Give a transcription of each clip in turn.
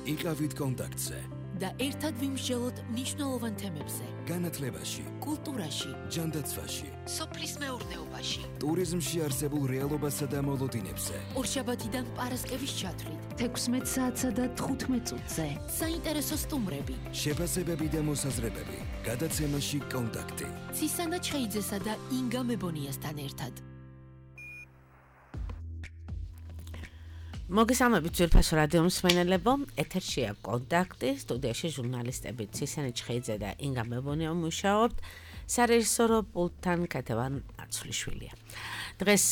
იყავით კონტაქტზე და ერთად ვიმსჯელოთ მნიშვნელოვან თემებზე. განათლებაში, კულტურაში, ჯანდაცვაში, სოფლის მეურნეობაში, ტურიზმში არსებულ რეალობასა და მოლოდინებზე. ორშაბათიდან პარასკევის ჩათვლით 16 საათსა და 15 წუთზე. საინტერესო სტუმრები, შეფასებები და მოსაზრებები. გადაცემაში კონტაქტი. ცისანა ჩხეიძესა და ინგა მებონიასთან ერთად. მოგესალმებით ძვირფასო რადიო მსმენელებო, ეთერშია კონტაქტი, სტუდიაში ჟურნალისტები ცისანა ჩხეიძე და ინგა მებონია მუშაობთ, სარეჟისორო პულტთან კეთევან აცვლიშვილია. დღეს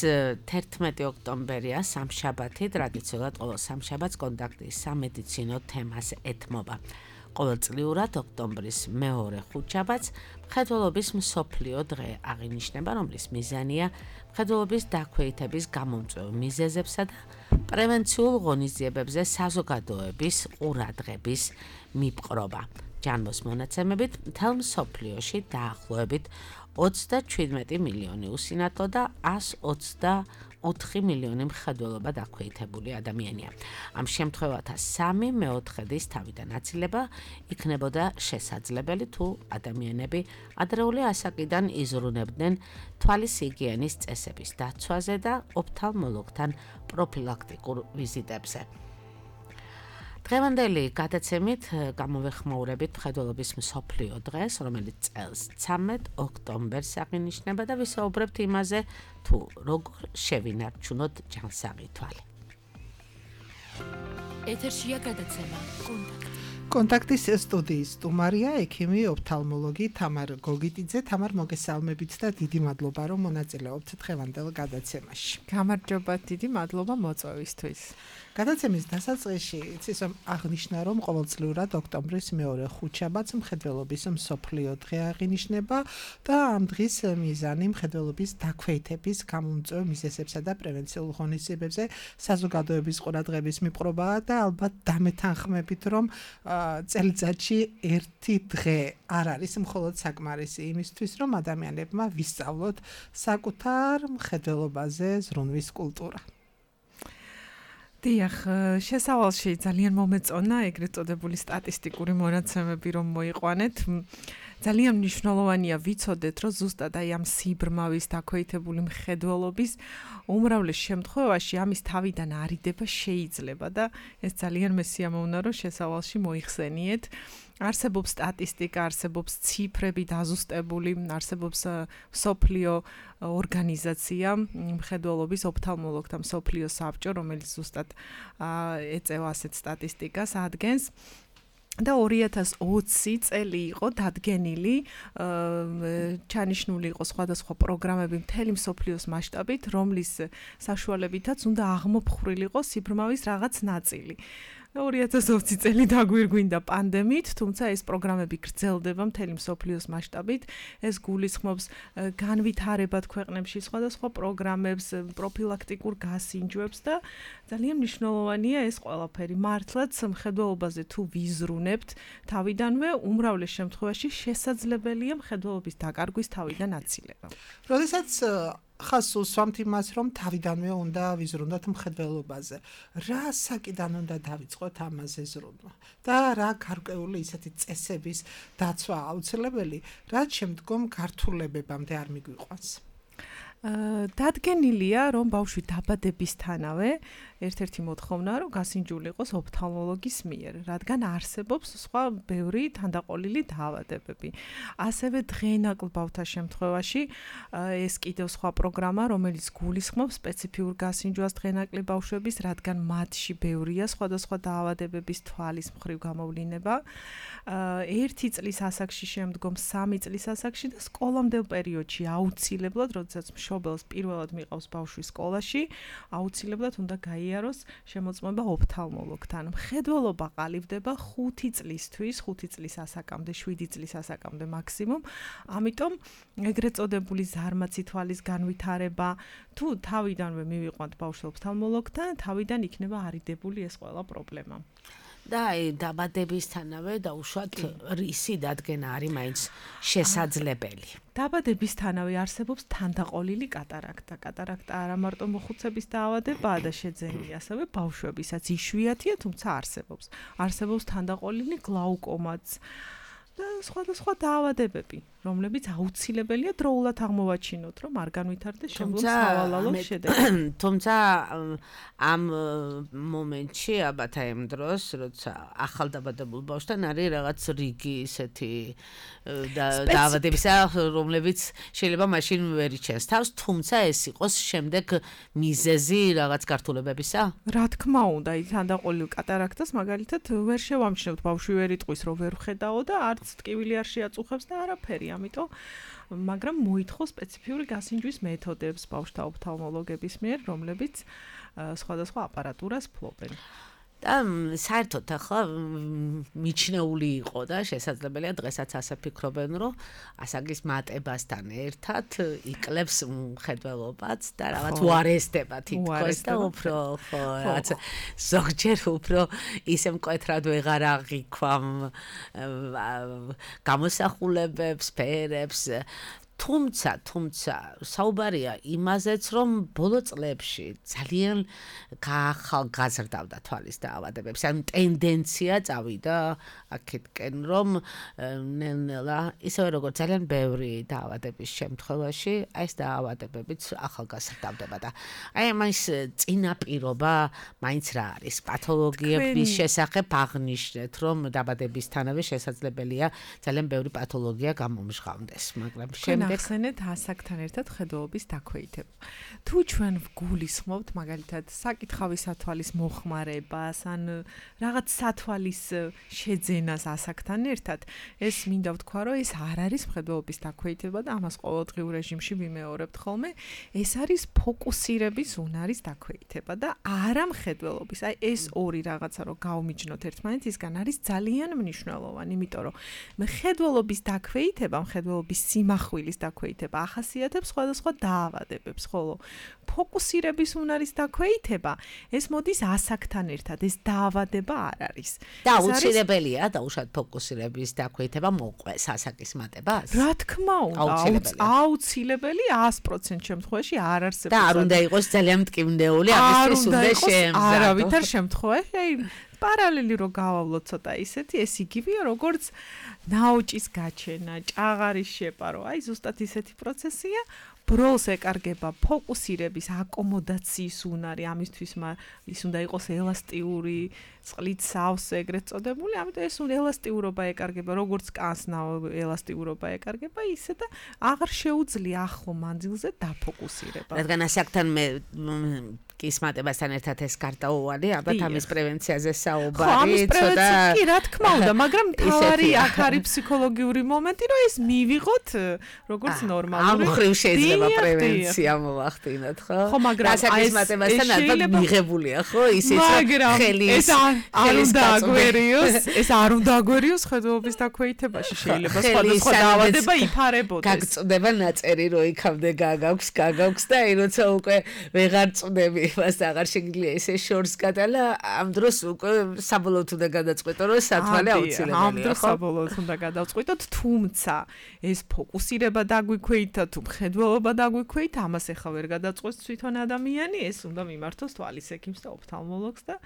11 ოქტომბერია, სამშაბათი, ტრადიციულად ყოველ სამშაბათს კონტაქტი სამედიცინო თემას ეთმობა. ყოველწლიურად ოქტომბრის მეორე ხუთშაბათს მხედველობის მსოფლიო დღე აღინიშნება, რომლის მიზანია მხედველობის დაქვეითების გამომწვევ მიზეზებსა და პრევენციულ ღონისძიებებზე საზოგადოების ყურადღების მიპყრობა. ჯანმოს მონაცემებით მთელ მსოფლიოში დაახლოებით 37 მილიონი უსინათლო და 124 მილიონი მხედველობა დაქვეითებული ადამიანია. ამ შემთხვევათა 3/4-ის თავიდან აცილება იქნებოდა შესაძლებელი თუ ადამიანები ადრეული ასაკიდან იზრუნებდნენ თვალის ჰიგიენის წესების დაცვაზე და ოფთალმოლოგთან პროფილაქტიკურ ვიზიტებზე. დღევანდელი გადაცემით გამოვეხმაურებით მხედველობის მსოფლიო დღეს, რომელიც წელს 13 ოქტომბერს აღინიშნება და ვისაუბრებთ იმაზე, თუ როგორ შევინარჩუნოთ ჯანსაღი თვალი. ეთერშია გადაცემა კონტაქტი. კონტაქტის სტუდიის სტუმარია ექიმი ოფთალმოლოგი თამარ გოგიტიძე. თამარ, მოგესალმებით და დიდი მადლობა რომ მონაწილეობთ დღევანდელ გადაცემაში. გამარჯობა, დიდი მადლობა მოწვევისთვის. გადაცემის დასაწყისში იცის რომ აღნიშნა რომ ყოველწლიურად ოქტომბრის მეორე ხუთშაბათს მხედველობის მსოფლიო დღე აღინიშნება და ამ დღის მიზანი მხედველობის დაქვეითების გამომწვევ მიზეზებსა და პრევენციულ ღონისძიებებზე საზოგადოების ყურადღების მიპყრობაა და ალბათ დამეთანხმებით რომ წელიწადში ერთი დღე არ არის მხოლოდ საკმარისი იმისთვის რომ ადამიანებმა ვისწავლოთ საკუთარ მხედველობაზე ზრუნვის კულტურა. დიახ, შესავალში ძალიან მომეწონა ეგრეთ წოდებული სტატისტიკური მონაცემები რომ მოიყვანეთ. ძალიან მნიშვნელოვანია ვიცოდეთ, რომ ზუსტად აი ამ სიბრმავის დაქვეითებული მხედველობის უმრავლეს შემთხვევაში ამის თავიდან არიდება შეიძლება და ეს ძალიან მესიამოვნა რომ შესავალში მოიხსენიეთ. არსებობს სტატისტიკა, არსებობს ციფრები დაზუსტებული, არსებობს მსოფლიო ორგანიზაცია მხედველობის ოფთალმოლოგთა მსოფლიო საბჭო, რომელიც ზუსტად ეწევა ასეთ სტატისტიკას, ადგენს. და 2020 წელი იყო დადგენილი, ჩანიშნული იყო სხვადასხვა პროგრამები მთელი მსოფლიოს მასშტაბით, რომლის საშუალებითაც უნდა აღმოფხვრილიყო სიბრმავის რაღაც ნაწილი. 2020 წელი დაგვირგვინდა პანდემიით, თუმცა ეს პროგრამები გრძელდება მთელი მსოფლიოს მასშტაბით. ეს გულისხმობს განვითარებად ქვეყნებში სხვადასხვა პროგრამებს, პროფილაქტიკურ გასინჯვებს და ძალიან მნიშვნელოვანია ეს ყველაფერი. მართლაც მხედველობაზე თუ ვიზრუნებთ თავიდანვე, უმრავლეს შემთხვევაში შესაძლებელია მხედველობის დაკარგვის თავიდან აცილება. როდესაც ხას უსვამთ იმას, რომ თავიდანვე უნდა ვიზრუნოთ მხედველობაზე. რა საკიდან უნდა დავიწყოთ ამაზე ზრუნვა? და რა გარკვეული ისეთი წესების დაცვა აუცილებელი, რაც შემდგომ გართულებებამდე არ მიგვიყვანს? დადგენილია, რომ ბავშვი დაბადებისთანავე ერთ-ერთი მოთხოვნა, რომ გასინჯული იყოს ოფთალმოლოგის მიერ, რადგან არსებობს სხვა ბევრი თანდაყოლილი დაავადებები. ასევე დღეინაკლ ბავთა შემთხვევაში ეს კიდევ სხვა პროგრამა, რომელიც გულისხმობს სპეციფიურ გასინჯვას დღეინაკლი ბავშვების, რადგან მათში ბევრია სხვადასხვა დაავადებების თვალის მხრივ გამოვლინება. 1 წლის ასაკში, შემდგომ 3 წლის ასაკში და სკოლამდელ პერიოდში აუცილებლად, როდესაც მშობელს პირველად მიყავს ბავშვი სკოლაში, აუცილებლად უნდა გაიაროს შემოწმება ოფთალმოლოგთან. მხედველობა ყალიბდება 5 წლისთვის, 5 წლის ასაკამდე, 7 წლის ასაკამდე მაქსიმუმ. ამიტომ ეგრეთ წოდებული ზარმაცი თვალის განვითარება, თუ თავიდანვე მივიყვანთ ბავშვს ოფთალმოლოგთან, თავიდან იქნება არიდებული ეს ყველა პრობლემა. და აი დაბადებისთანავე დაუშვათ რისი დადგენა არის მაინც შესაძლებელი. დაბადებისთანავე არსებობს თანდაყოლილი კატარაქტა. კატარაქტა არა მარტო მოხუცების დაავადებაა და შეძენილი, ასევე ბავშვებისაც იშვიათია, თუმცა არსებობს. არსებობს თანდაყოლილი გლაუკომაც და სხვადასხვა დაავადებები, რომლებიც აუცილებელია დროულად აღმოვაჩინოთ, რომ არ განვითარდეს შემდგომ სავალალო შედეგი. თუმცა ამ მომენტში ალბათ აი ამ დროს, როცა ახალდაბადებულ ბავშვთან არის რაღაც რიგი ისეთი დაავადებისა, რომლებიც შეიძლება მაშინ ვერ იჩენს თავს, თუმცა ეს იყოს შემდეგ მიზეზი რაღაც გართულებებისა? რა თქმა უნდა, აი თანდაყოლილ კატარაქტას მაგალითად ვერ შევამჩნევთ, ბავშვი ვერ იტყვის, რომ ვერ ხედაო და არც ტკივილი არ შეაწუხებს და არაფერი, ამიტომ მაგრამ მოითხოვს სპეციფიური გასინჯვის მეთოდებს ბავშვთა ოფთალმოლოგების მიერ, რომლებიც სხვადასხვა აპარატურას ფლობენ. და საერთოდ ახლა მიჩნეული იყო და შესაძლებელია დღესაც ასე ფიქრობენ, რომ ასაგის მატებასთან ერთად იკლებს მხედველობაც და რაღაც უარესდება თითქოს და უფრო რაც ზოგჯერ უფრო ისე მკვეთრად ვეღარ აღიქვამ გამოსახულებებს, სფერებს. თუმცა საუბარია იმაზეც, რომ ბოლო წლებში ძალიან გაახალგაზრდავდა თვალის დაავადებებს. ანუ ტენდენცია წავიდა აქეთკენ, რომ ნელ-ნელა ისევე როგორც ძალიან ბევრი დაავადების შემთხვევაში, აი ეს დაავადებებიც ახალგაზრდავდება და აი ამის წინაპირობა მაინც რა არის? პათოლოგიების შესახებ აღნიშნეთ, რომ დაბადებისთანავე შესაძლებელია ძალიან ბევრი პათოლოგია გამომჟღავნდეს, მაგრამ ახსენეთ ასაკთან ერთად ხედველობის დაქვეითება. თუ ჩვენ ვგულისხმობთ მაგალითად საკითხავი სათვალის მოხმარებას, ან რაღაც სათვალის შეძენას ასაკთან ერთად, ეს მინდა ვთქვა, რომ ეს არ არის ხედველობის დაქვეითება და ამას ყოველდღიურ რეჟიმში ვიმეორებთ ხოლმე, ეს არის ფოკუსირების უნარის დაქვეითება და არა მხედველობის. აი ეს ორი რაღაცა რომ გავმიჯნოთ ერთმანეთისგან არის ძალიან მნიშვნელოვანი, იმიტომ რომ მხედველობის დაქვეითება, მხედველობის სიმახვილის დაქვეითება ახასიათებს სხვადასხვა დაავადებებს, ხოლო ფოკუსირების უნარის დაქვეითება ეს მოდის ასაკთან ერთად, ეს დაავადება არ არის. და აუცილებელია დაუშვათ ფოკუსირების დაქვეითება მოყვეს ასაკის მატებას? რა თქმა უნდა, აუცილებელი 100% შემთხვევაში არ არსებობს. და არ უნდა იყოს ძალიან მტკივნეული, ამისთვის უნდა შეემზადოს. არავითარ შემთხვევაში, აი პარალელი რო გავავლოთ ცოტა ისეთი, ეს იგივეა როგორც ნაოჭის გაჩენა, ჭაღარის შეპარო, აი ზუსტად ისეთი პროცესია. ბროლს ეკარგება ფოკუსირების აკომოდაციის უნარი, ამისთვის ის უნდა იყოს ელასტიური, წყლით სავსე ეგრეთ წოდებული, ამიტომ ეს ელასტიურობა ეკარგება, როგორც კანსნა ელასტიურობა ეკარგება, ისე და აღარ შეუძლია ახლო მანძილზე დაფოკუსირება. რადგან ასაკთან მე კის მატებასთან ერთად ეს კარტაოვანი, ალბათ ამის პრევენციაზე საუბარი, ცოტა კი რა თქმა უნდა, მაგრამ თავარი აქ არის ფსიქოლოგიური მომენტი, რომ ეს მივიღოთ როგორც ნორმალური. ამ ხრივ შეიძლება პრევენცია მოვახდინოთ, ხო? ხო, მაგრამ ასაკის მატებასთან ალბათ მიღებულია, ხო? ისიც ხელი ეს არ უნდა აგვერიოს, ეს არ უნდა აგვერიოს ხედველობის დაქვეითებაში, შეიძლება სხვადასხვა დაავადება იფარებოდეს. გაგწდება ნაწერი, რომ იქამდე გაგაქვს და აი როცა უკვე ვეღარ წვდები მას აღარ შეგიძლია ესე შორს გადალა, ამ დროს უკვე საბოლოოდ უნდა გადაწყვეტო, რომ სათვალე აუცილებელია, ხო? ამ დროს საბოლოოდ უნდა გადავწყვიტოთ, თუმცა ეს ფოკუსირება დაგვიქვეითა თუ მხედველობა დაგვიქვეითა, ამას ახლა ვერ გადაწყვეტს თვითონ ადამიანი, ეს უნდა მიმართოს თვალის ექიმს და ოფთალმოლოგს და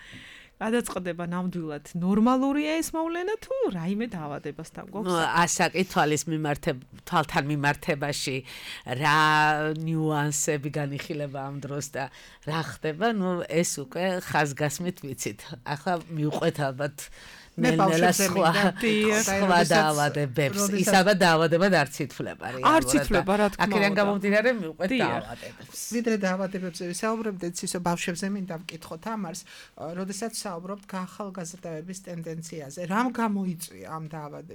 გადაწყდება ნამდვილად ნორმალურია ეს მოვლენა თუ რაიმე დაავადებასთან გვაქვს. ასაკი თვალთან მიმართებაში რა ნიუანსები განიხილება ამ დროს და რა ხდება, ეს უკვე ხაზგასმით ვიცით. ახლა მივყვეთ ალბათ ნელ-ნელა სხვა დაავადებებს, ისაბა დაავადებად არც ითვლება. არც ითვლება, რა თქმა უნდა. აქედან გამომდინარე მივყვეთ დაავადებებს. ვიდრე დაავადებებზე ვისაუბრებდეთ, ისო ბავშვებზე მინდა ვკითხოთ ამას, როდესაც საუბრობთ გაახალგაზრდავების ტენდენციაზე. რამ გამოიწვია ამ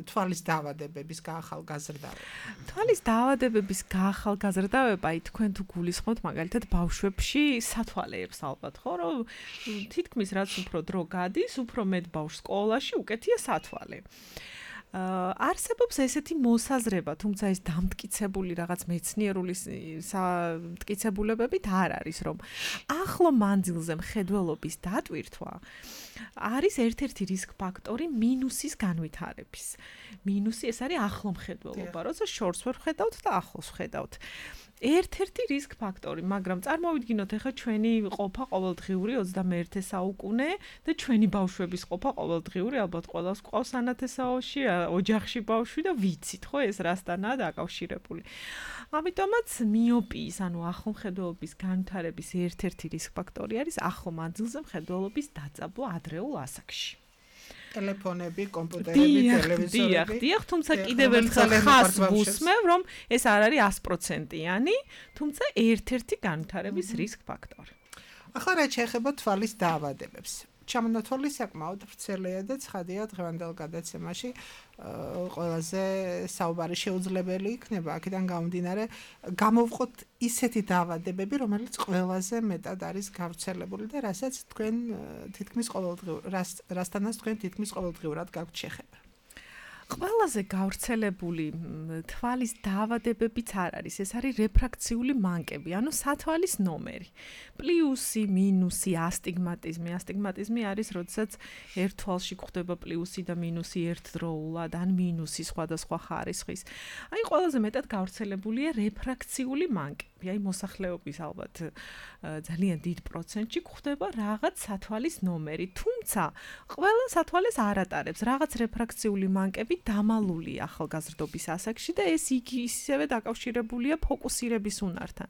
თვალის დაავადებების გაახალგაზრდავება? თვალის დაავადებების გაახალგაზრდავება, თქვენ თუ გულისხმობთ მაგალითად ბავშვებში სათვალეებს ალბათ, ხო, რომ თითქმის რაც უფრო დრო გადის, უფრო მეტ ბავშვს სკოლაში უკეთია სათვალე. არსებობს ესეთი მოსაზრება, თუმცა ეს დამტკიცებული რაღაც მეცნიერული მტკიცებულებებით არ არის, რომ ახლო მანძილზე მხედველობის დატვირთვა არის ერთ-ერთი რისკ ფაქტორი მინუსის განვითარების. მინუსი ეს არის ახლო მხედველობა, როცა შორს ვერ ვხედავთ და ახლოს ვხედავთ. ერთ-ერთი რისკ ფაქტორი, მაგრამ წარმოვიდგინოთ ახლა ჩვენი ყოფა ყოველდღიური 21 საუკუნე და ჩვენი ბავშვების ყოფა ყოველდღიური, ალბათ ყველას ყავს ანათესაოში, ოჯახში ბავშვი და ვიცით, ხო, ეს რასთანაა დაკავშირებული. ამიტომაც მიოპიის, ანუ ახლო მხედველობის განვითარების ერთ-ერთი რისკ ფაქტორი არის ახლო მანძილზე მხედველობის დაწაბო ადრეულ ასაკში. ტელეფონები, კომპიუტერები, ტელევიზორები. დიახ, თუმცა კიდევ ერთხელ ხას ვუსმევ, რომ ეს არ არის 100%-იანი, თუმცა ერთ-ერთი განვითარების რისკ ფაქტორი. ახლა რაც შეეხება თვალის დაავადებებს. ჩამონათვალი საკმაოდ ვრცელია და ცხადია დღევანდელ გადაცემაში ყველაზე საუბარი შეუძლებელი იქნება. აქედან გამომდინარე, გამოვყოთ ისეთი დაავადებები, რომელიც ყველაზე მეტად არის გავრცელებული და რასაც თქვენ თითქმის რასთანაც თქვენ თითქმის ყოველდღიურად გაქვთ შეხება. ყველაზე გავრცელებული თვალის დაავადებებიც არ არის, ეს არის რეფრაქციული მანკები, ანუ სათვალის ნომერი. პლუსი, მინუსი, ასტიგმატიზმი. ასტიგმატიზმი არის, როდესაც ერთ თვალში გვხდება პლუსი და მინუსი ერთდროულად, ან მინუსი სხვადასხვა ხარისხის. აი, ყველაზე მეტად გავრცელებულია რეფრაქციული მანკები. აი, მოსახლეობის ალბათ ძალიან დიდ პროცენტში გვხდება რაღაც სათვალის ნომერი, თუმცა ყველა სათვალეს არ ატარებს. რაღაც რეფრაქციული მანკები დამალულია ახალგაზრდობის ასაკში და ეს ისევე დაკავშირებულია ფოკუსირების უნართან.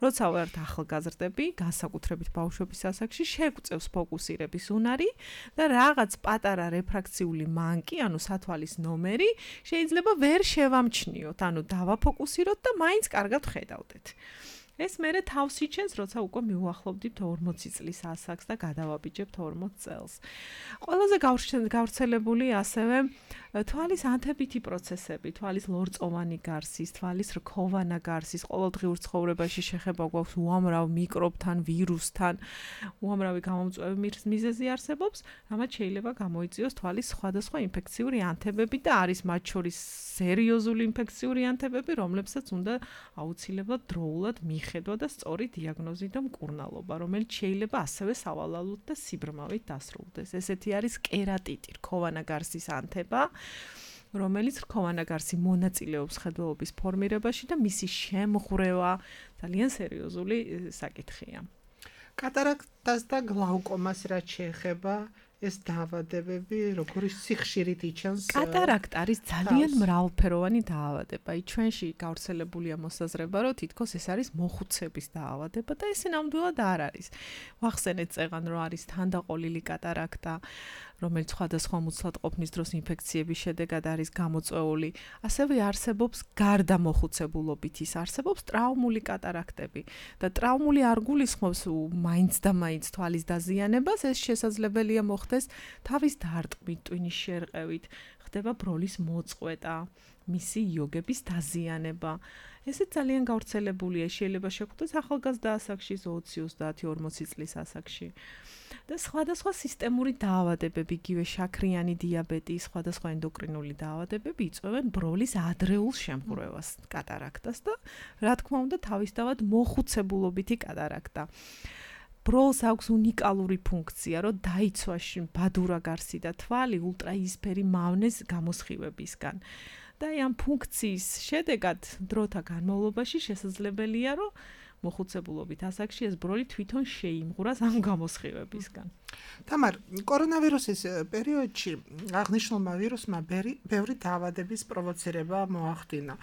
როცა ვართ ახალგაზრდები, განსაკუთრებით ბავშვობის ასაკში, შეგვწევს ფოკუსირების უნარი და რაღაც პატარა რეფრაქციული მანკი, ანუ სათვალის ნომერი, შეიძლება ვერ შევამჩნიოთ, ანუ დავაფოკუსიროთ და მაინც კარგად ხედავდეთ. ეს მერე თავს იჩენს, როცა უკვე მივუახლოვდით 40 წლის ასაკს და გადავაბიჯებთ 40 წელს. ყველაზე გავრცელებული ასევე თვალის ანთებითი პროცესები, თვალის ლორწოვანი გარსის, თვალის რქოვანა გარსის, ყოველდღიურ ცხოვრებაში შეხება გვაქვს უამრავ მიკრობთან, ვირუსთან, უამრავი გამომწვევი მიზეზი არსებობს, რამაც შეიძლება გამოიწვიოს თვალის სხვადასხვა ინფექციური ანთებები და არის მათ შორის სერიოზული ინფექციური ანთებები, რომლებსაც უნდა აუცილებლად დროულად მიხედვა და სწორი დიაგნოზი და მკურნალობა, რომელიც შეიძლება ასევე სავალალოდ და სიბრმავით დასრულდეს. ესეთი არის კერატიტი, რქოვანა გარსის ანთება, რომელიც რქოვანა გარსი მონაწილეობს ხედველობის ფორმირებაში და მისი შემღვრევა ძალიან სერიოზული საკითხია. კატარაქტას და გლაუკომას რაც შეეხება ეს დაავადებები როგორი სიხშირით იჩენს? კატარაქტა არის ძალიან მრავალფეროვანი დაავადება. ჩვენში გავრცელებულია მოსაზრება, რომ თითქოს ეს არის მოხუცების დაავადება და ეს ნამდვილად არ არის. ვახსენეთ წეღან, რომ არის თანდაყოლილი კატარაქტა, რომელიც სხვადასხვა მუცლადყოფნის დროს ინფექციების შედეგად არის გამოწვეული. ასევე არსებობს გარდა მოხუცებულობით ის არსებობს ტრავმული კატარაქტები და ტრავმული არ გულისხმობს მაინც და მაინც თვალის დაზიანებას, ეს შესაძლებელია მოხდეს თავის დარტყმით, ტვინის შერყევით, ხდება ბროლის მოწყვეტა, მისი იოგების დაზიანება. ესე ძალიან გავრცელებულია, შეიძლება შეხვდეს ახალგაზრდა ასაკში, 20-30-40 წლის ასაკში. და სხვადასხვა სისტემური დაავადებები, იგივე შაქრიანი დიაბეტი, სხვადასხვა ენდოკრინული დაავადებები იწვევენ ბროლის ადრეულ შემღვრევას, კატარაქტას და რა თქმა უნდა თავისთავად მოხუცებულობითი კატარაქტა. ბროლს აქვს უნიკალური ფუნქცია, რომ დაიცვა ბადურა გარსი და თვალი ულტრაიისფერი მავნეს გამოსხივებისგან. და ამ ფუნქციის შედეგად დროთა განმავლობაში შესაძლებელია, რომ მოხუცებულობით ასაკში ეს ბროლი თვითონ შეიმღვრას ამ გამოსხივებისგან. თამარ, კორონავირუსის პერიოდში აღნიშნულმა ვირუსმა ბევრი დაავადების პროვოცირება მოახდინა.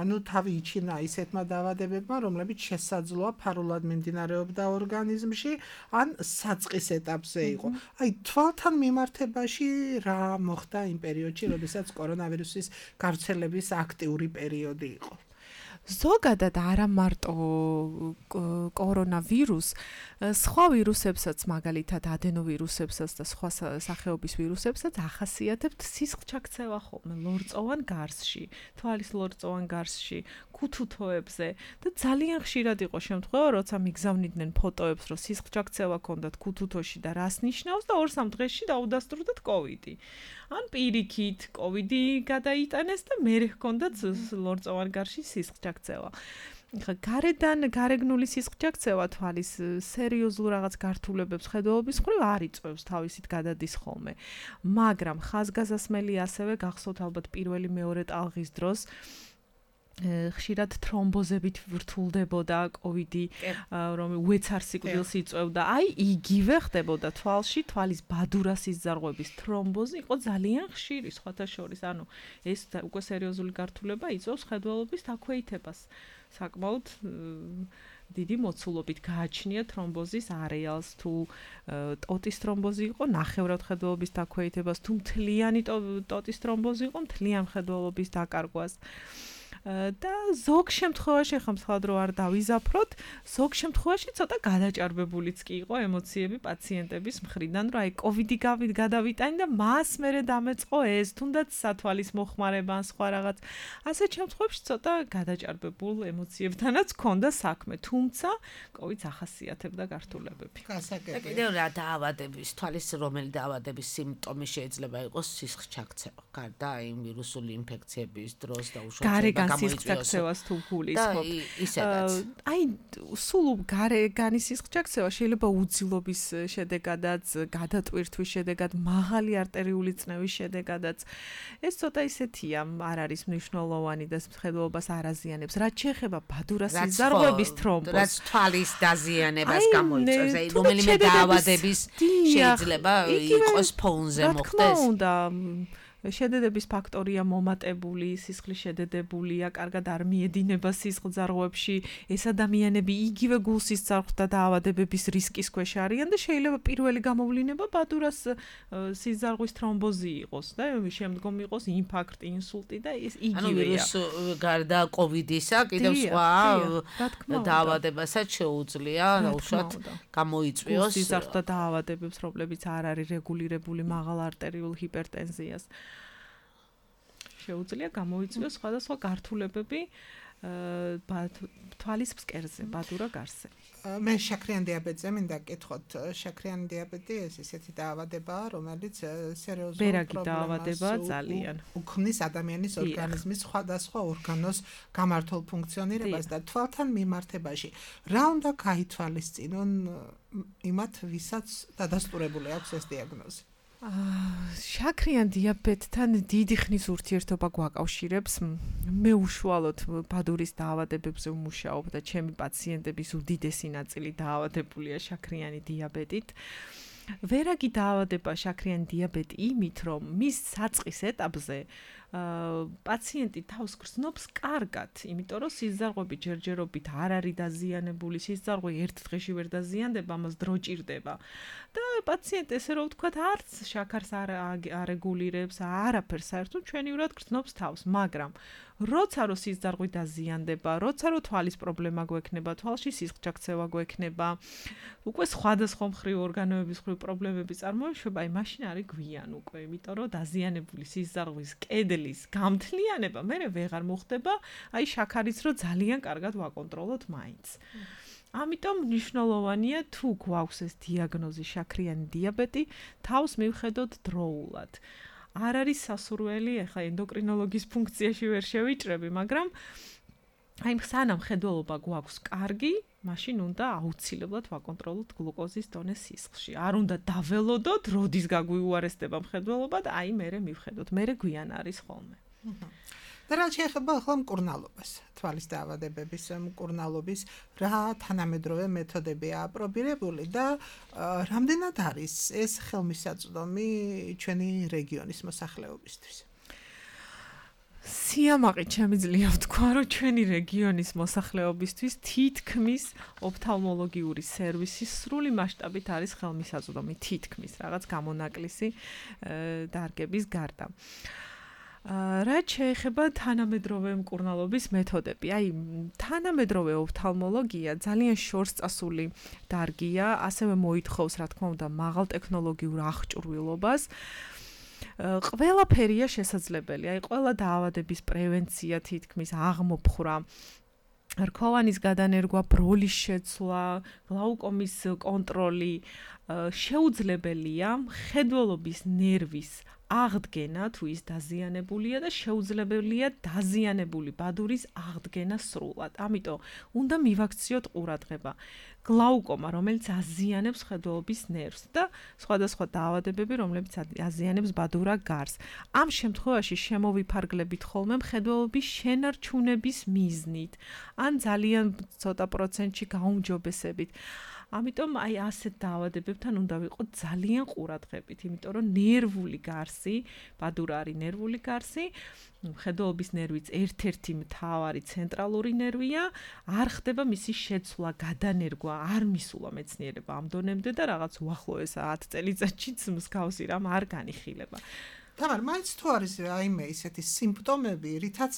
ანუ თავი იჩინა ისეთმა დაავადებებმა, რომლებიც შესაძლოა ფარულად მიმდინარეობდა ორგანიზმში, ან საწყის ეტაპზე იყო. აი, თვალთან მიმართებაში რა მოხდა იმ პერიოდში, როდესაც კორონავირუსის გავრცელების აქტიური პერიოდი იყო? ზოგადად არა მარტო კორონავირუს, სხვა ვირუსებსაც, მაგალითად ადენოვირუსებსაც და სხვა სახეობის ვირუსებსაც ახასიათებთ სისხლჩაქცევა ხოლმე ლორწოვან გარსში, თვალის ლორწოვან გარსში, ქუთუთოებზე და ძალიან ხშირად იყო შემთხვევა, როცა მიგზავნიდნენ ფოტოებს, რომ სისხლჩაქცევა ჰქონდათ ქუთუთოში და რას ნიშნავს და 2-3 დღეში დაუდასტურდათ კოვიდი. ან პირიქით კოვიდი გადაიტანეს და მე ჰქონდათ ლორწოვან გარსში სისხლჩაქცევა. ხა გარეგნული სისხლჩაქცევა თვალის სერიოზულ რაღაც გართულებებს ხედავობის მხრივ არ იწვევს, თავისით გადადის ხოლმე. მაგრამ ხაზგასასმელი ასევე გახსოვთ ალბათ პირველი მეორე ტალღის დროს ხშირად თრომბოზებით ვრთულდებოდა კოვიდი, რომ უეცარ სიკვდილს იწვევდა. აი იგივე ხდებოდა თვალში, თვალის ბადურას იზარღვების თრომბოზი იყო ძალიან ხშირი სხვათა შორის. ანუ ეს უკვე სერიოზული გართულება იწვევს ხედველობის დაქვეითებას. საკმაოდ დიდი მოცულობით გააჩნია თრომბოზის არეალს, თუ ტოტის თრომბოზი იყო ნახევრად ხედველობის დაქვეითებას, თუ მთლიანი ტოტის თრომბოზი იყო მთლიან ხედველობის დაკარგვას. და ზოგ შემთხვევაში ხომ სხვად რო არ დავიზაფროთ, ზოგ შემთხვევაში ცოტა გადაჭარბებულიც კი იყო ემოციები პაციენტების მხრიდან, რომ აი კოვიდი გადავიტანი და მას მერე დამეწყო ეს, თუნდაც სათვალის მოხმარება ან სხვა რაღაც. ასეთ შემთხვევებში ცოტა გადაჭარბებულ ემოციებთანაც ჰქონდა საქმე, თუმცა კოვიდს ახასიათებდა გართულებები. და კიდევ რა დაავადების, თვალის რომელი დაავადების სიმპტომი შეიძლება იყოს სისხლჩაქცევა, გარდა იმ ვირუსული ინფექციების დროს და უშუალოდ სისხლჩაქცევას თუ გულისხმობ. ისედაც. აი სულ გარეგანი სისხლჩაქცევა შეიძლება უძილობის შედეგადაც, გადატვირთვის შედეგად, მაღალი არტერიული წნევის შედეგადაც. ეს ცოტა ისეთია, არ არის მნიშვნელოვანი და ხედველობას არ აზიანებს. რაც შეეხება ბადურას იზარღვების თრომბოზს, რაც თვალის დაზიანებას გამოიწვევს, აი რომელიმე დაავადების შეიძლება იყოს ფონზე მოხდეს. შედედების ფაქტორია მომატებული, სისხლი შედედებულია, კარგად არ მიედინება სისხლძარღვებში, ეს ადამიანები იგივე გულსისძარღვთა და დაავადებების რისკის ქვეშ არიან და შეიძლება პირველი გამოვლინება ბადურას სისხლძარღვის თრომბოზი იყოს და შემდგომ იყოს ინფარქტი, ინსულტი და ეს იგივეა. ანუ გარდა კოვიდისა, კიდევ სხვა დაავადებასაც შეუძლია უშუალოდ გამოიწვიოს სისხლძარღვთა დაავადებებს, რომლებიც არ არის რეგულირებული მაღალ არტერიულ ჰიპერტენზიას. შეუძლია გამოიწვიოს სხვადასხვა გართულებები თვალის ფსკერზე, ბადურა გარსზე. მე შაქრიან დიაბეტზე მინდა გკითხოთ, შაქრიანი დიაბეტი ეს ისეთი დაავადებაა, რომელიც სერიოზულ პრობლემას ძალიან უქმნის ადამიანის ორგანიზმის სხვადასხვა ორგანოს გამართულ ფუნქციონირებას და თვალთან მიმართებაში. რა უნდა გაითვალისწინონ იმათ, ვისაც დადასტურებული აქვს ეს დიაგნოზი? შაქრიან დიაბეტთან დიდი ხნის ურთიერთობა გვაკავშირებს. მე უშუალოდ ბადურის დაავადებებზე ვმუშაობ და ჩემი პაციენტების უდიდესი ნაწილი დაავადებულია შაქრიანი დიაბეტით. ვერაგი დაავადება შაქრიანი დიაბეტი იმით, რომ მის საწყის ეტაპზე პაციენტი თავს გრძნობს კარგად, იმიტომ რომ სისხლძარღვები ჯერჯერობით არ არის დაზიანებული, სისხლძარღვი ერთ დღეში ვერ დაზიანდება, ამას დრო ჭირდება. და პაციენტი ესე რომ ვთქვათ, არც შაქარს არ არეგულირებს, არაფერს საერთოდ ჩვენივრად გრძნობს თავს, მაგრამ როცა რო სისხლძარღვი დაზიანდება, როცა რო თვალის პრობლემა გვექნება, თვალში სისხლჩაქცევა გვექნება, უკვე სხვადასხვა მხრივ ორგანოების მხრივ პრობლემები წარმოიშვება, აი მაშინ არის გვიან უკვე, იმიტომ რომ დაზიანებული სისხლძარღვის კედლის გამთლიანება მე ვეღარ მოხდება, აი შაქარიც რო ძალიან კარგად ვაკონტროლოთ მაინც. ამიტომ მნიშვნელოვანია თუ გვაქვს ეს დიაგნოზი შაქრიანი დიაბეტი, თავს მივხედოთ დროულად. არ არის სასურველი, ახლა ენდოკრინოლოგის ფუნქციაში ვერ შევიჭრები, მაგრამ აი სანამ ხედველობა გვაქვს კარგი, მაშინ უნდა აუცილებლად ვაკონტროლოთ გლუკოზის დონე სისხლში. არ უნდა დაველოდოთ, როდის გაგვიუარესდება მხედველობა და აი მერე მივხედოთ. მერე გვიან არის ხოლმე. და რა შეეხება ახლა მკურნალობას, თვალის დაავადებების მკურნალობის, რა თანამედროვე მეთოდებია აპრობირებული და რამდენად არის ეს ხელმისაწვდომი ჩვენი რეგიონის მოსახლეობისთვის? სიამაყით შემიძლია ვთქვა, რომ ჩვენი რეგიონის მოსახლეობისთვის თითქმის ოფთალმოლოგიური სერვისი სრული მასშტაბით არის ხელმისაწვდომი, თითქმის რაღაც გამონაკლისი დარგების გარდა. რაც შეეხება თანამედროვე მკურნალობის მეთოდები. აი, თანამედროვე ოფთალმოლოგია ძალიან შორს წასული დარგია, ასევე მოითხოვს, რა თქმა უნდა, მაღალ ტექნოლოგიურ აღჭურვილობას. ყველაფერია შესაძლებელი. აი, ყველა დაავადების პრევენცია თითქმის აღმოფხვრა რქოვანის გადანერგვა, ბროლის შეცვლა, გლაუკომის კონტროლი შეუძლებელია მხედველობის ნერვის აღდგენა თუ ის დაზიანებულია და შეუძლებელია დაზიანებული ბადურის აღდგენა სრულად. ამიტომ უნდა მივაქციოთ ყურადღება. გლაუკომა, რომელიც აზიანებს მხედველობის ნერვს და სხვადასხვა დაავადებები, რომლებიც აზიანებს ბადურა გარს. ამ შემთხვევაში შემოვიფარგლებით ხოლმე მხედველობის შენარჩუნების მიზნით, ან ძალიან ცოტა პროცენტში გაუმჯობესებით. ამიტომ აი ასეთ დაავადებებთან უნდა ვიყოთ ძალიან ყურადღებით, იმიტომ რომ ნერვული გარსი, ბადურა არის ნერვული გარსი, მხედველობის ნერვიც ერთ-ერთი მთავარი ცენტრალური ნერვია, არ ხდება მისი შეცვლა, გადანერგვა, არ მისულა მეცნიერება ამ დონემდე და რაღაც უახლოეს 10 წელიწადშიც მსგავსი რამ არ განიხილება. თამარ, მაინც თუ არის რაიმე ისეთი სიმპტომები, რითაც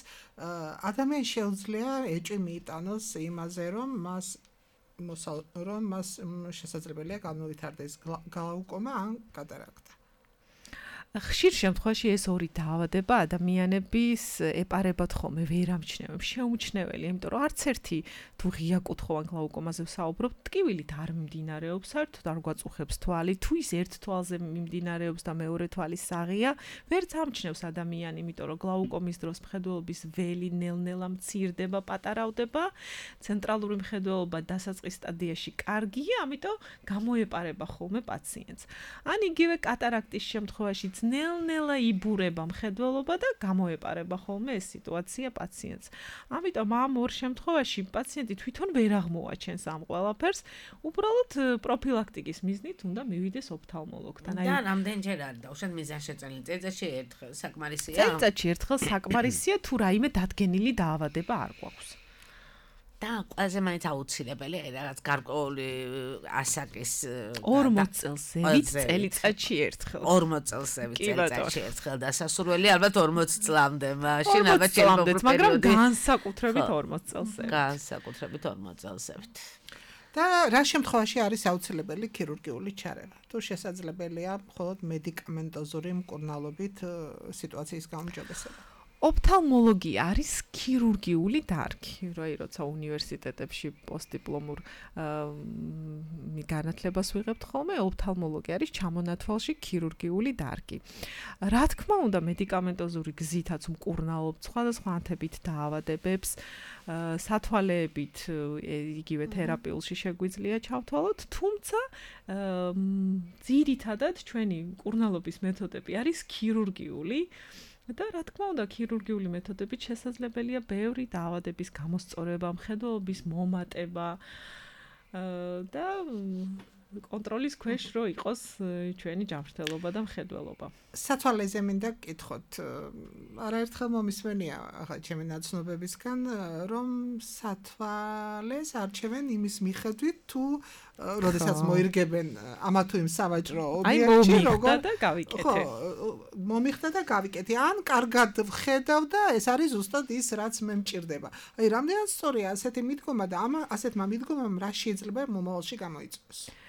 ადამიანს შეუძლია ეჭვი მიიტანოს იმაზე, რომ მას შესაძლებელია განუვითარდეს გლაუკომა ან კატარაქტა. ხშირ შემთხვევაში ეს ორი დაავადება ადამიანების ეპარებათ ხოლმე ვერ ამჩნევენ, შეუმჩნეველი, იმიტომ რომ არც ერთი თუ ღია კუთხოვან გლაუკომაზე ვსაუბრობთ, ტკივილით არ მიმდინარეობს, საერთოდ არ გვაწუხებს თვალი, თუ ის ერთ თვალზე მიმდინარეობს და მეორე თვალი საღია, ვერც ამჩნევს ადამიანი, იმიტომ რომ გლაუკომის დროს მხედველობის ველი ნელ-ნელა მცირდება, პატარავდება, ცენტრალური მხედველობა დასაწყის სტადიაში კარგია, ამიტომ გამოეპარება ხოლმე პაციენტს. ან იგივე კატარაქტის შემთხვევაში ნელ-ნელა იბურება მხედველობა და გამოეპარება ხოლმე ეს სიტუაცია პაციენტს. ამიტომ ამ ორ შემთხვევაში პაციენტი თვითონ ვერ აღმოაჩენს ამ ყველაფერს, უბრალოდ პროფილაქტიკის მიზნით უნდა მივიდეს ოფთალმოლოგთან. და რამდენჯერ არის დაუშვათ მიზანშეწონილი? წელიწადში ერთხელ საკმარისია? წელიწადში ერთხელ საკმარისია, თუ რაიმე დადგენილი დაავადება არ გვაქვს. და ყველაზე მაინც აუცილებელი რაღაც გარკვეული ასაკის 40 წელსევით წელიწადში ერთხელ. 40 წელსევით წელიწადში ერთხელ დასასრულელი ალბათ 40 წლამდე, მაშინ ალბათ შემოგდეთ, მაგრამ განსაკუთრებით 40 წელსევით. განსაკუთრებით 40 წელსევით. და რა შემთხვევაში არის აუცილებელი ქირურგიული ჩარევა? თუ შესაძლებელია მხოლოდ მედიკამენტოზური მკურნალობით სიტუაციის გაუმჯობესება? ოფთალმოლოგია არის ქირურგიული დარგი, როცა უნივერსიტეტებში პოსტდიპლომურ განათლებას ვიღებთ ხოლმე, ოფთალმოლოგია არის ჩამონათვალში ქირურგიული დარგი. რა თქმა უნდა, მედიკამენტოზური გზითაც მკურნალობთ სხვადასხვა ანთებით დაავადებებს, სათვალეებით იგივე თერაპიულში შეგვიძლია ჩავთვალოთ, თუმცა ძირითადად ჩვენი მკურნალობის მეთოდები არის ქირურგიული და რა თქმა უნდა, ქირურგიული მეთოდებით შესაძლებელია ბევრი დაავადების გამოსწორება, მხედველობის მომატება და კონტროლის ქვეშ რო იყოს ჩვენი ჯანმრთელობა და მხედველობა. სათვალეზე მინდა გკითხოთ, არაერთხელ მომისმენია ახლა ჩემი ნაცნობებისგან, რომ სათვალეს არჩევენ იმის მიხედვით, თუ როდესაც მოირგებენ ამა თუ იმ სავაჭრო ობიექტში, როგორ და გავიკეთე. მომიხდა და გავიკეთე. ან კარგად ვხედავ და ეს არის ზუსტად ის, რაც მე მჭირდება. აი, რამდენად სწორია ასეთი მიდგომა და ასეთმა მიდგომამ რა შეიძლება მომავალში გამოიწვიოს?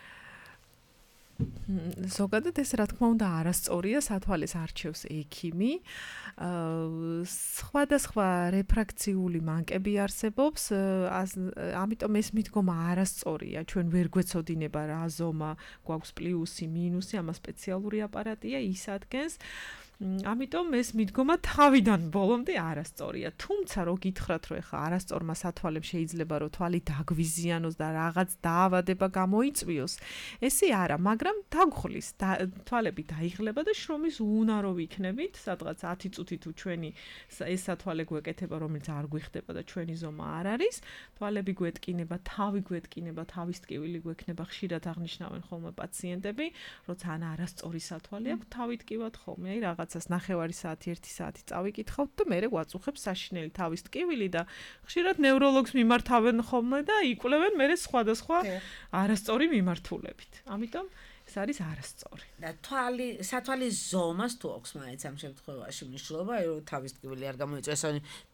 ზოგადად ეს რა თქმა უნდა არასწორია, სათვალეს არჩევს ექიმი. სხვადასხვა რეფრაქციული მანკები არსებობს, ამიტომ ეს მიდგომა არასწორია. ჩვენ ვერ გვეცოდინება რა ზომა გვაქვს პლუსი, მინუსი, ამას სპეციალური აპარატია, ის ადგენს. ამიტომ ეს მიდგომა თავიდან ბოლომდე არასწორია. თუმცა რო გითხრათ, რომ ეხა არასწორმა სათვალემ შეიძლება რომ თვალი დაგვიზიანოს და რაღაც დაავადება გამოიწვიოს, ესე არა, მაგრამ დაგხვლის, თვალები დაიღლება და შრომის უუნარო ვიქნებით, სადღაც 10 წუთი თუ ჩვენი ეს სათვალე გვეკეთება, რომელიც არ გვიხდება და ჩვენი ზომა არ არის, თვალები გვეტკინება, თავი გვეტკინება, თავის ტკივილი გვექნება, ხშირად აღნიშნავენ ხოლმე პაციენტები, როცა ან არასწორი სათვალე აქვს, თავი ტკივათ ხოლმე, აი რაღაცას 9 საათი, 1 საათი წავიკითხავთ და მერე გვაწუხებს საშინელი თავის ტკივილი და ხშირად ნევროლოგს მიმართავენ ხოლმე და იკვლევენ მერე სხვადასხვა არასწორი მიმართულებით. ამიტომ ეს არის არასწორი. და სათვალის ზომას თუ აქვს მაინც ამ შემთხვევაში მნიშვნელობა, რომ თავის ტკივილი არ გამოიწვიოს,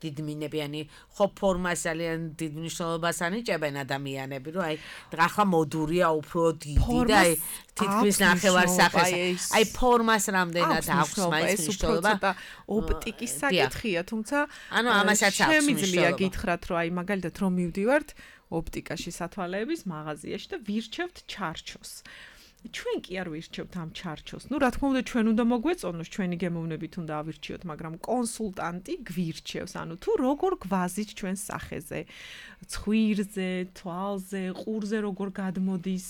დიდმინებიანი ხო ფორმას ძალიან დიდ მნიშვნელობას ანიჭებენ ადამიანები, რომ აი ახლა მოდურია უფრო დიდი და აი თითქმის ნახევარსახეს. აი ფორმას რამდენად აქვს მაინც მნიშვნელობა. ოპტიკის საკითხია, თუმცა ანუ ამასაც აქვს შემიძლია გითხრათ, რომ აი მაგალითად რომ მივდივართ ოპტიკაში სათვალეების მაღაზიაში და ვირჩევთ ჩარჩოს. ჩვენ კი არ ვირჩევთ ამ ჩარჩოს. რა თქმა უნდა, ჩვენ უნდა მოგვეწონოს, ჩვენი გემოვნებით უნდა ავირჩიოთ, მაგრამ კონსულტანტი გვირჩევს, ანუ თუ როგორ გვაზით ჩვენს სახეზე, ცხვირზე, თვალზე, ყურზე როგორ გადმოდის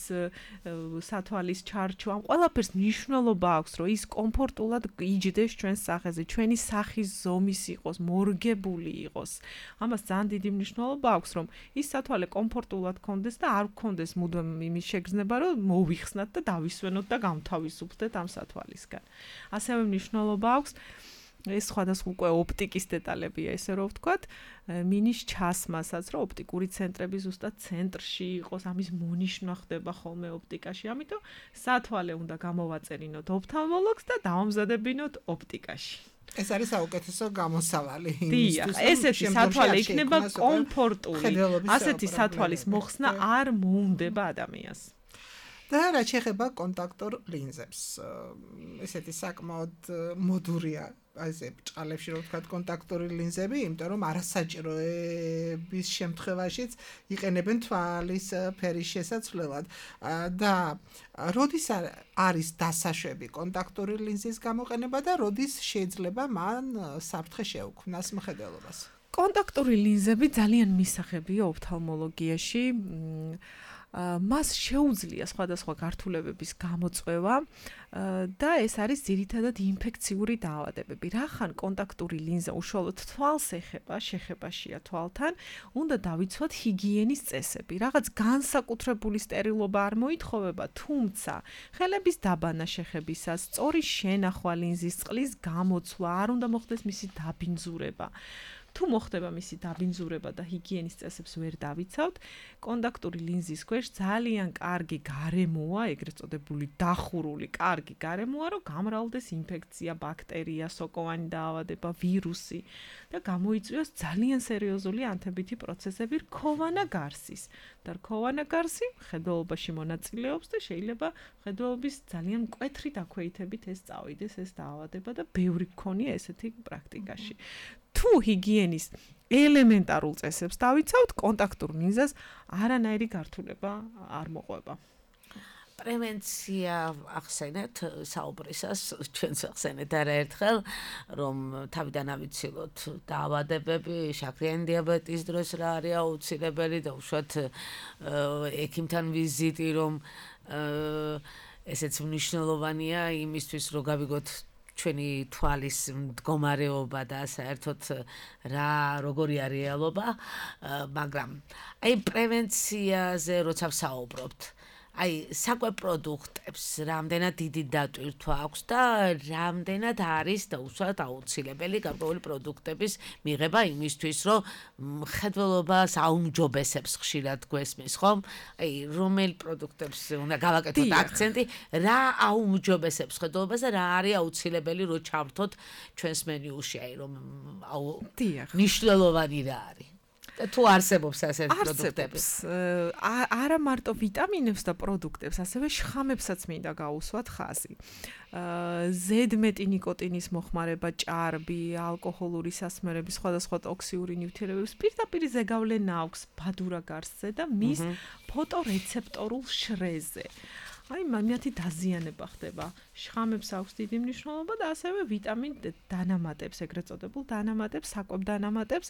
სათვალის ჩარჩო, ამ ყველაფერს მნიშვნელობა აქვს, რომ ის კომფორტულად იჯდეს ჩვენს სახეზე, ჩვენი სახის ზომის იყოს, მორგებული იყოს. ამას ძალიან დიდი მნიშვნელობა აქვს, რომ ის სათვალე კომფორტულად კონდეს და არ გქონდეს მუდმივ იმის შეგრძნება, რომ მოვიხსნათ და დავისვენოთ და გამთავისუფლდეთ ამ სათვალისგან. ასევე მნიშვნელობა აქვს ეს სხვადასხვა უკვე ოპტიკის დეტალებია, ესე რომ ვთქვათ, მინის ჩასმასაც, რომ ოპტიკური ცენტრები ზუსტად ცენტრში იყოს, ამის მონიშნა ხდება ხოლმე ოპტიკაში. ამიტომ სათვალე უნდა გამოვაწერინოთ ოფთალმოლოგს და დავამზადებინოთ ოპტიკაში. ეს არის საუკეთესო გამოსავალი. დიახ, ესეთი სათვალე იქნება კომფორტული. ასეთი სათვალის მოხსნა არ მოუნდება ადამიანს. და რა შეეხება კონტაქტორ ლინზებს, ესეთი საკმაოდ მოდურია ასე ბჭყალებში რომ ვთქვათ კონტაქტორი ლინზები, იმიტომ რომ არასაჭიროების შემთხვევაშიც იყენებენ თვალის ფერის შესაცვლელად და როდის არის დასაშვები კონტაქტორი ლინზის გამოყენება და როდის შეიძლება მან საფრთხე შეუქმნას მხედველობას. კონტაქტური ლინზები ძალიან მისაღებია ოფთალმოლოგიაში. მას შეუძლია სხვადასხვა გართულებების გამოწვევა და ეს არის ძირითადად ინფექციური დაავადებები. რახან კონტაქტური ლინზა უშუალოდ თვალს ეხება, შეხებაშია თვალთან, უნდა დავიცვათ ჰიგიენის წესები. რაღაც განსაკუთრებული სტერილობა არ მოითხოვება, თუმცა ხელების დაბანა შეხებისას, სწორი შენახვა ლინზის წყლის გამოცვლა, არ უნდა მოხდეს მისი დაბინძურება. თუ მოხდება მისი დაბინძურება და ჰიგიენის წესებს ვერ დავიცავთ, კონტაქტური ლინზის ქვეშ ძალიან კარგი გარემოა, ეგრეთ წოდებული დახურული კარგი გარემოა, რომ გამრავლდეს ინფექცია, ბაქტერია, სოკოვანი დაავადება, ვირუსი და გამოიწვიოს ძალიან სერიოზული ანთებითი პროცესები რქოვანა გარსის. და რქოვანა გარსი მხედველობაში მონაწილეობს და შეიძლება მხედველობის ძალიან მკვეთრი დაქვეითებით ეს წავიდეს ეს დაავადება და ბევრი გქონია ესეთი პრაქტიკაში. თუ ჰიგიენის ელემენტარულ წესებს დავიცავთ, კონტაქტურ ლინზას არანაირი გართულება არ მოყვება. პრევენცია ახსენეთ საუბრისას, ჩვენს ახსენეთ არაერთხელ, რომ თავიდან ავიცილოთ დაავადებები, შაქრიანი დიაბეტის დროს რა არის აუცილებელი და უშუალოდ ექიმთან ვიზიტი, რომ ესეც მნიშვნელოვანია იმისთვის, რომ გავიგოთ ჩვენი თვალის მდგომარეობა და საერთოდ როგორია რეალობა, მაგრამ აი პრევენციაზე როცა ვსაუბრობთ, აი საკვე პროდუქტებს რამდენად დიდი დატვირთვა აქვს და რამდენად არის და უშუალოდ აუცილებელი გარკვეული პროდუქტების მიღება იმისთვის, რომ მხედველობას აუმჯობესებს ხშირად გვესმის, ხომ? აი რომელ პროდუქტებს უნდა გავაკეთოთ აქცენტი, რა აუმჯობესებს მხედველობას და რა არის აუცილებელი რომ ჩავრთოთ ჩვენს მენიუში, აი რომ მნიშვნელოვანი რა არის? თუ არსებობს ასეთი პროდუქტები. არა მარტო ვიტამინებს და პროდუქტებს, ასევე შხამებსაც მინდა გაუსვათ ხაზი. ზედმეტი ნიკოტინის მოხმარება, ჭარბი, ალკოჰოლური სასმელები, სხვადასხვა ტოქსიური ნივთიერებების პირდაპირ ზეგავლენა აქვს ბადურა გარსზე და მის ფოტორეცეპტორულ შრეზე. აი მათი დაზიანება ხდება. შხამებს აქვს დიდი მნიშვნელობა და ასევე ვიტამინ დანამატებს, ეგრეთ წოდებულ დანამატებს, საკვებ დანამატებს.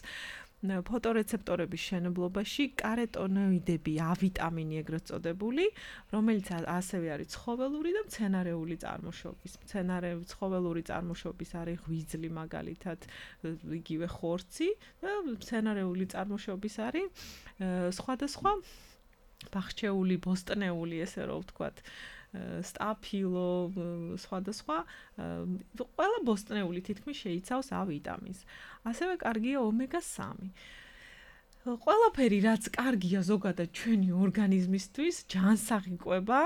ფოტორეცეპტორების შენებლობაში კაროტინოიდები, ავიტამინი ეგრეთ წოდებული, რომელიც ასევე არის ცხოველური და მცენარეული წარმოშობის. ცხოველური წარმოშობის არის ღვიძლი მაგალითად, იგივე ხორცი და მცენარეული წარმოშობის არის სხვადასხვა ბახჩეული, ბოსტნეული, ესე რომ ვთქვათ, სტაფილო, სხვადასხვა, ყველა ბოსტნეული თითქმის შეიცავს ა ვიტამინს. ასევე კარგია ომეგა-3. ყველაფერი, რაც კარგია ზოგადად ჩვენი ორგანიზმისთვის, ჯანსაღი ყვება,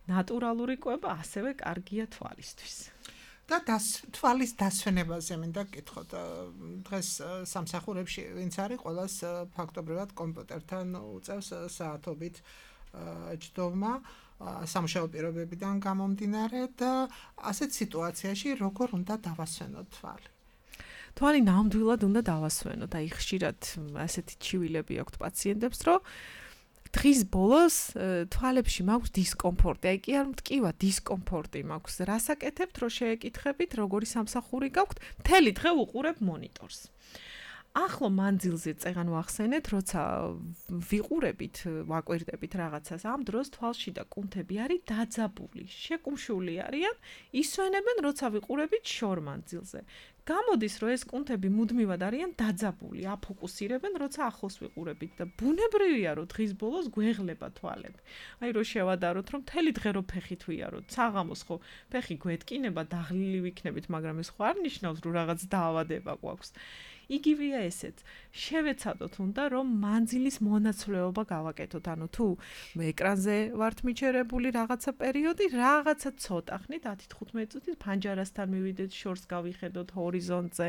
ნატურალური კვება ასევე კარგია თვალისთვის. და თვალის დასვენებაზე მინდა გკითხოთ. დღეს სამსახურებში ვინც არის, ყველას ფაქტობრივად კომპიუტერთან უწევს საათობით ჯდომა სამუშაო პირობებიდან გამომდინარე და ასეთ სიტუაციაში როგორ უნდა დავასვენოთ თვალი? თვალი ნამდვილად უნდა დავასვენოთ. აი ხშირად ასეთი ჩივილები აქვთ პაციენტებს, რომ დღის ბოლოს თვალებში მაქვს დისკომფორტი. აი კი არ მткиვა დისკომფორტი მაქვს. რასაკეთებთ, რომ შეეკითხებით, როგორი სამსახური გაქვთ? მთელი დღე უყურებ მონიტორს. ახლო მანძილზე წეგან ვახსენეთ, როცა ვიყურებით, ვაკვირდებით რაღაცას, ამ დროს თვალში და კუნთები არის დაძაბული, შეკუმშული არიან, ისვენებენ, როცა ვიყურებით შორ მანძილზე. გამოდის, რომ ეს კუნთები მუდმივად არიან დაძაბული, აფოკუსირებენ, როცა ახლოს ვიყურებით და ბუნებრივია, რომ დღის ბოლოს გვეღლება თვალები. აი რო შევადაროთ, რომ მთელი დღე რო ფეხით ვიაროთ, საღამოს ხო ფეხი გვეთკინება, დაღლილი ვიქნებით, მაგრამ ეს ხო არ ნიშნავს, რომ რაღაც დაავადება გვაქვს. იგივეა ესეც. შევეცადოთ უნდა, რომ მანძილის მონაცვლეობა გავაკეთოთ. ანუ თუ ეკრანზე ვართ მიჩერებული რაღაცა პერიოდი, რაღაცა ცოტა ხნით 10-15 წუთით ფანჯარასთან მივიდეთ, შორს გავიხედოთ ჰორიზონტზე.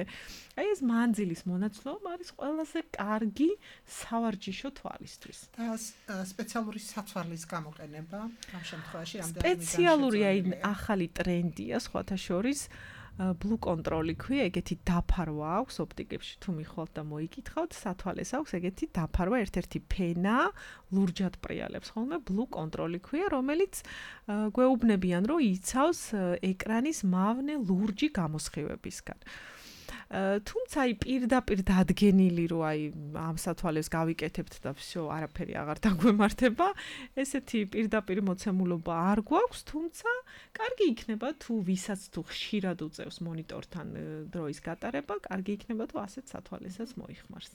აი ეს მანძილის მონაცვლეობა არის ყველაზე კარგი სავარჯიშო თვალისთვის. და სპეციალური სათვალის გამოყენება ამ შემთხვევაში რამდენი სპეციალური აი ახალი ტრენდია სხვათა შორის Blue Control-ი ქვია, ეგეთი დაფარვა აქვს ოპტიკებში, თუ მიხვალთ და მოიკითხავთ, სათვალეს აქვს ეგეთი დაფარვა, ერთ-ერთი ფენა, ლურჯად პრიალებს ხოლმე, Blue Control-ი ქვია, რომელიც გვეუბნებიან, რომ იცავს ეკრანის მავნე ლურჯი გამოსხივებისგან. თუმცა აი პირდაპირ დადგენილი რომ აი ამ სათვალეს გავიკეთებთ და всё არაფერი აღარ დაგვემართება, ესეთი პირდაპირ მოცემულობა არ გვაქვს, თუმცა კარგი იქნება თუ ვისაც თუ ხშირად უწევს მონიტორთან დროის გატარება, კარგი იქნება თუ ასეთ სათვალესაც მოიხმარს.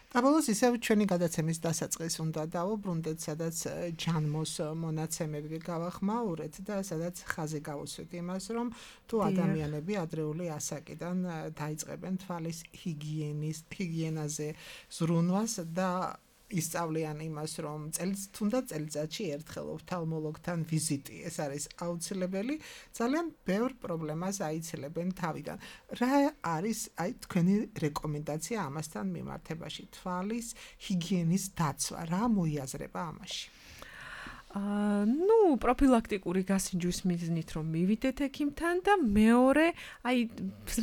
და ბოლოს ისევ ჩვენი გადაცემის დასაწყის უნდა დავუბრუნდეთ, სადაც ჯანმოს მონაცემები გავახმაურეთ და სადაც ხაზი გავუსვით იმას, რომ თუ ადამიანები ადრეული ასაკიდან დაიწყებენ თვალის ჰიგიენაზე ზრუნვას და ისწავლიან იმას, რომ თუნდაც წელიწადში ერთხელ ოფთალმოლოგთან ვიზიტი, ეს არის აუცილებელი, ძალიან ბევრ პრობლემას აიცილებენ თავიდან. რა არის აი თქვენი რეკომენდაცია ამასთან მიმართებაში, თვალის ჰიგიენის დაცვა, რა მოიაზრება ამაში? ნუ პროფილაქტიკური გასინჯვის მიზნით რომ მივიდეთ ექიმთან და მეორე აი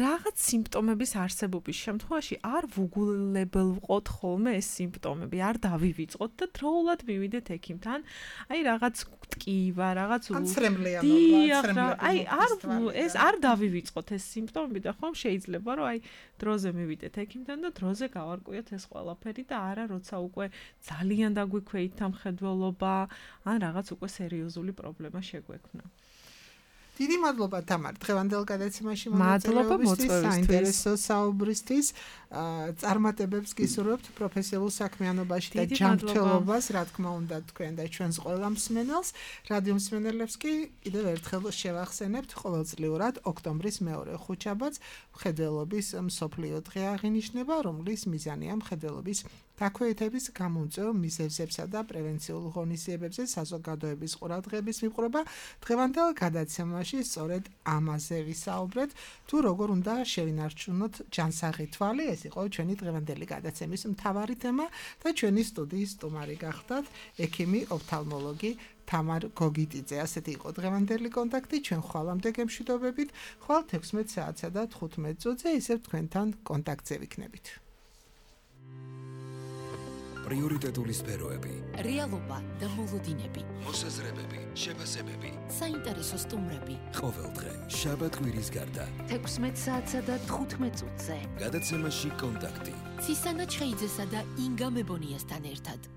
რაღაც სიმპტომების არსებობის შემთხვევაში არ ვუგულებელ ვყოთ ხოლმე ეს სიმპტომები, არ დავივიწყოთ და დროულად მივიდეთ ექიმთან. აი რაღაც ტკივა, რაღაც ეს არ დავივიწყოთ ეს სიმპტომები და ხომ შეიძლება რომ აი დროზე მივიდეთ ექიმთან და დროზე გავარკვიოთ ეს ყველაფერი და არა როცა უკვე ძალიან დაგვიქვეით ამხედველობა ან რაღაც უკვე სერიოზული პრობლემა შეგვექმნა. დიდი მადლობა თამარ, დღევანდელ გადაცემაში მონაწილეობისთვის, საინტერესო საუბრისთვის. წარმატებებს გისურვებთ პროფესიულ საქმიანობაში და ჯანმრთელობას, რა თქმა უნდა, თქვენ და ჩვენს ყველა მსმენელს. რადიო მსმენელებს კი კიდევ ერთხელ შევახსენებთ, ყოველწლიურად ოქტომბრის მეორე ხუთშაბათს მხედველობის მსოფლიო დღე აღინიშნება, რომლის მიზანია მხედველობის დაქვეითების გამომწვევ მიზეზებსა და პრევენციულ ღონისძიებებზე საზოგადოების ყურადღების მიპყრობა. დღევანდელ გადაცემაში სწორედ ამაზე ვისაუბრეთ, თუ როგორ უნდა შევინარჩუნოთ ჯანსაღი თვალი. ეს იყო ჩვენი დღევანდელი გადაცემის მთავარი თემა და ჩვენი სტუდიის სტუმარი გახდათ ექიმი ოფთალმოლოგი თამარ გოგიტიძე. ასეთი იყო დღევანდელი კონტაქტი. ჩვენ ხვალამდე გემშვიდობებით. ხვალ 16 საათსა და 15 წუთზე ისევ თქვენთან კონტაქტზე ვიქნებით. პრიორიტეტული სფეროები, რეალობა და მოლოდინები, მოსაზრებები, შეფასებები, საინტერესო სტუმრები. ყოველდღე შაბათ-კვირის გარდა 16 საათსა და 15 წუთზე. გადაცემაში კონტაქტი. ცისანა ჩხეიძესა და ინგა მებონიასთან ერთად.